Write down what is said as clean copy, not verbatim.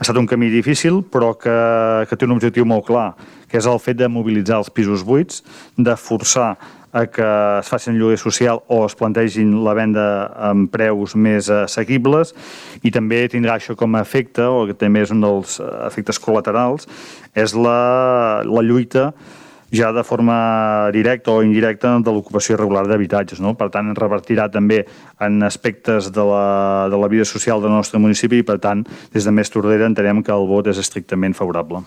traçat un camí difícil, però que té un objectiu molt clar, que és el fet de mobilitzar els pisos buits, de forçar a que es facin lloguer social o es plantegin la venda amb preus més assequibles, i també tindrà això com a efecte, o que també és un dels efectes col·laterals, és la lluita ja de forma directa o indirecta de l'ocupació irregular d'habitatges, no? Per tant, revertirà també en aspectes de la vida social del nostre municipi i, per tant, des de Més Tordera entenem que el vot és estrictament favorable.